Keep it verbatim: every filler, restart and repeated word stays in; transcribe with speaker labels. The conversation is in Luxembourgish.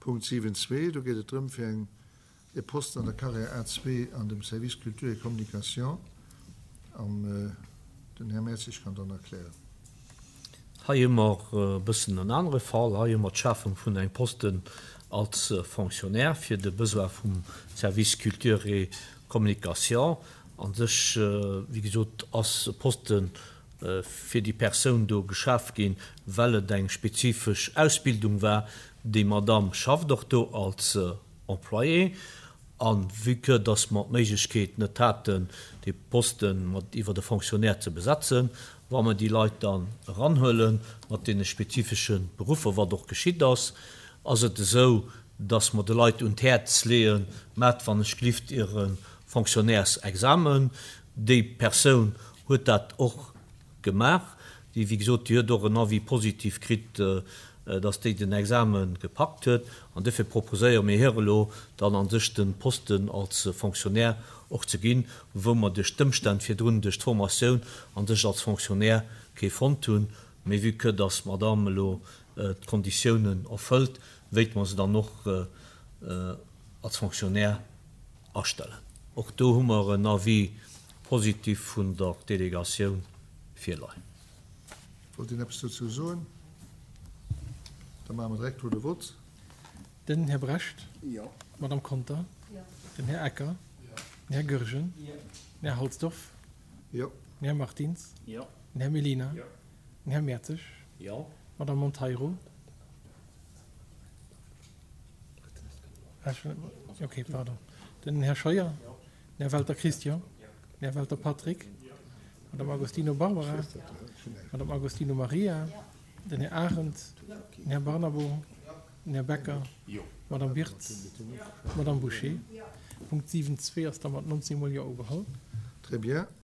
Speaker 1: Punkt siwen zwee, do geet et drëm fir eng e Posten an der Carrière A zwee an dem Service Culture et Communication. An den Här Mertzig kann dann erklären.
Speaker 2: Hei hu mer e bëssen en anere Fall. Hei hu mer d'Schafung vun engem Posten als Fonctionnaire fir de Besoin vum Service Culture et Communication. A sech, wéi gesot, ass e Poste fir déi Persoun do geschaf ginn, well et eng spezifesch Ausbildung war. Déi Madame schafft och do als Employée. A vue que dass mer d'Méiglechkeet net haten, dee Poste mat iwwer e Fonctionnaire ze besetzen, wa mer déi Leit dann eranhuele mat deene spezifesche Beruffer, wat och geschitt ass, ass et esou, dass mer de Leit un d'Häerz leeën, Maacht wann ech glift Iere Fonctionnairesexamen. Déi Persoun huet dat och gemaach. Déi, wéi gesot, déi huet och en Avis positif kritt, dass déi den Exame gepackt huet. An dofir proposéiere mir hir elo dann a sech de Posten als Fonctionnaire och ze ginn, wou mer duerch d'Ëmstänn virdrun, duerch d'Formatioun a sech als Fonctionnaire kee fonnt hunn. Mee vue que dass d'Madame elo d'Konditiounen erfëllt, wéilte mer se dann och als Fonctionnaire astellen. Och do hu mer en Avis positif vun der Delegatioun virleien.
Speaker 1: Wollt een eppes dozou soen? Da maache mer direkt elo de Vott.
Speaker 3: Den Här Brecht.
Speaker 1: Jo.
Speaker 3: D'Madame Conter.
Speaker 4: Jo.
Speaker 3: Den Här Ecker.
Speaker 1: Jo.
Speaker 3: Den Här Goergen.
Speaker 5: Jo.
Speaker 3: Den Här Halsdorf.
Speaker 1: Jo.
Speaker 3: Den Här Martins.
Speaker 5: Jo.
Speaker 3: Den Här Mellina.
Speaker 5: Jo.
Speaker 3: Den Här Mertzig.
Speaker 2: Jo.
Speaker 3: D'Madame Monteiro. Okay, pardon. Den Här Scheuer.
Speaker 5: Jo.
Speaker 3: Den Här Welter Christian.
Speaker 5: Jo.
Speaker 3: Den Här Welter Patrick. D'Madame Agostino Barbara. D'Madame Agostino Maria. Den Här Arendt. Den Här Barnabo. Den Här Becker.
Speaker 5: Jo.
Speaker 3: D'Madame Wirtz. D'Madame Bouché. Punkt siwen zwee ass da mat nonzéng Mol Jo ugeholl.
Speaker 1: Très bien.